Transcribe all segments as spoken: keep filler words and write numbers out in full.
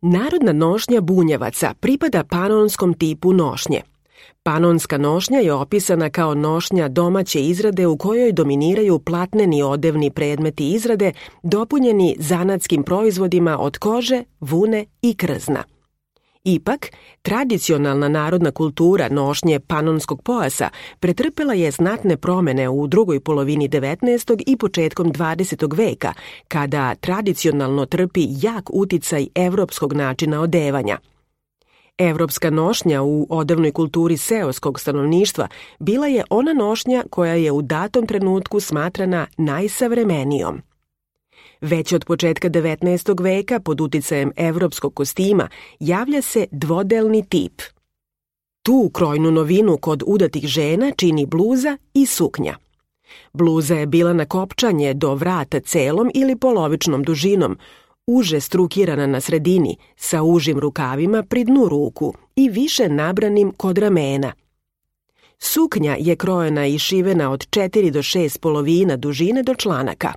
Narodna nošnja bunjevaca pripada panonskom tipu nošnje. Panonska nošnja je opisana kao nošnja domaće izrade u kojoj dominiraju platneni odevni predmeti izrade dopunjeni zanatskim proizvodima od kože, vune i krzna. Ipak, tradicionalna narodna kultura nošnje panonskog pojasa pretrpela je znatne promene u drugoj polovini devetnaestog i početkom dvadesetog veka, kada tradicionalno trpi jak uticaj evropskog načina odevanja. Evropska nošnja u odevnoj kulturi seoskog stanovništva bila je ona nošnja koja je u datom trenutku smatrana najsavremenijom. Već od početka devetnaestog veka pod uticajem evropskog kostima javlja se dvodelni tip. Tu krojnu novinu kod udatih žena čini bluza i suknja. Bluza je bila na kopčanje do vrata celom ili polovičnom dužinom, uže strukirana na sredini, sa užim rukavima pri dnu ruku i više nabranim kod ramena. Suknja je krojena i šivena od četiri do šest polovina dužine do članaka.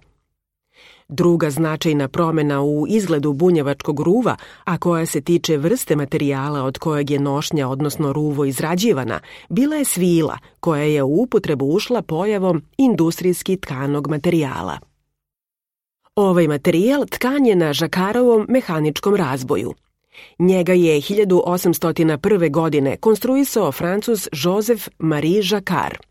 Druga značajna promjena u izgledu bunjevačkog ruva, a koja se tiče vrste materijala od kojeg je nošnja, odnosno ruvo, izrađivana, bila je svila, koja je u upotrebu ušla pojavom industrijski tkanog materijala. Ovaj materijal tkan je na žakarovom mehaničkom razboju. Njega je hiljadu osamsto prve. godine konstruisao Francuz Joseph Marie Jacquard.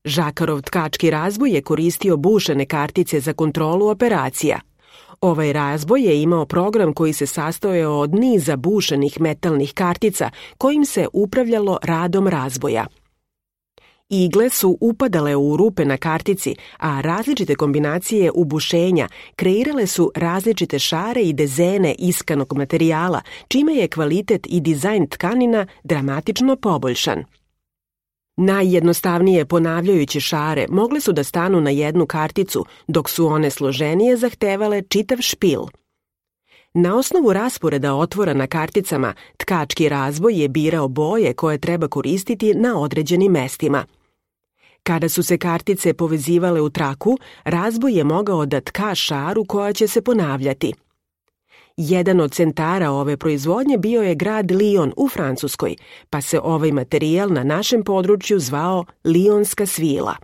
Žakarov tkački razboj je koristio bušene kartice za kontrolu operacija. Ovaj razboj je imao program koji se sastojao od niza bušenih metalnih kartica kojim se upravljalo radom razboja. Igle su upadale u rupe na kartici, a različite kombinacije ubušenja kreirale su različite šare i dezene iskanog materijala, čime je kvalitet i dizajn tkanina dramatično poboljšan. Najjednostavnije ponavljajuće šare mogle su da stanu na jednu karticu, dok su one složenije zahtevale čitav špil. Na osnovu rasporeda otvora na karticama, tkački razboj je birao boje koje treba koristiti na određenim mestima. Kada su se kartice povezivale u traku, razboj je mogao da tka šaru koja će se ponavljati. Jedan od centara ove proizvodnje bio je grad Lion u Francuskoj, pa se ovaj materijal na našem području zvao lionska svila.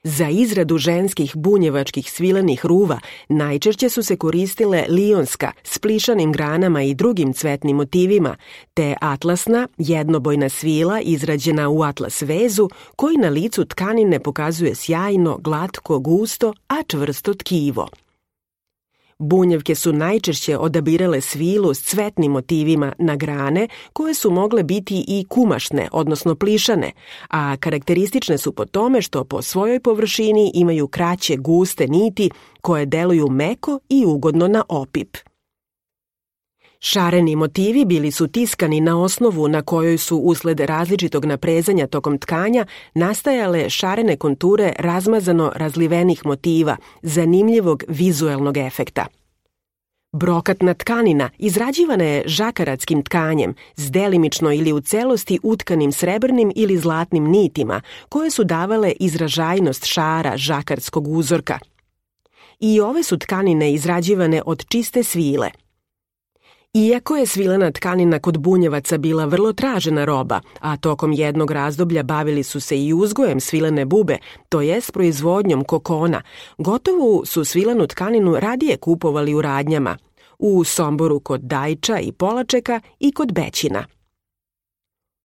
Za izradu ženskih bunjevačkih svilenih ruva najčešće su se koristile lionska s plišanim granama i drugim cvetnim motivima, te atlasna, jednobojna svila izrađena u atlas vezu koji na licu tkanine pokazuje sjajno, glatko, gusto, a čvrsto tkivo. Bunjevke su najčešće odabirale svilu s cvetnim motivima na grane koje su mogle biti i kumašne, odnosno plišane, a karakteristične su po tome što po svojoj površini imaju kraće, guste niti koje deluju meko i ugodno na opip. Šareni motivi bili su tiskani na osnovu na kojoj su usled različitog naprezanja tokom tkanja nastajale šarene konture razmazano razlivenih motiva, zanimljivog vizuelnog efekta. Brokatna tkanina izrađivana je žakaratskim tkanjem s delimično ili u celosti utkanim srebrnim ili zlatnim nitima koje su davale izražajnost šara žakarskog uzorka. I ove su tkanine izrađivane od čiste svile. Iako je svilena tkanina kod bunjevaca bila vrlo tražena roba, a tokom jednog razdoblja bavili su se i uzgojem svilene bube, to jest proizvodnjom kokona, gotovu su svilenu tkaninu radije kupovali u radnjama, u Somboru kod Dajča i Polačeka i kod Bećina.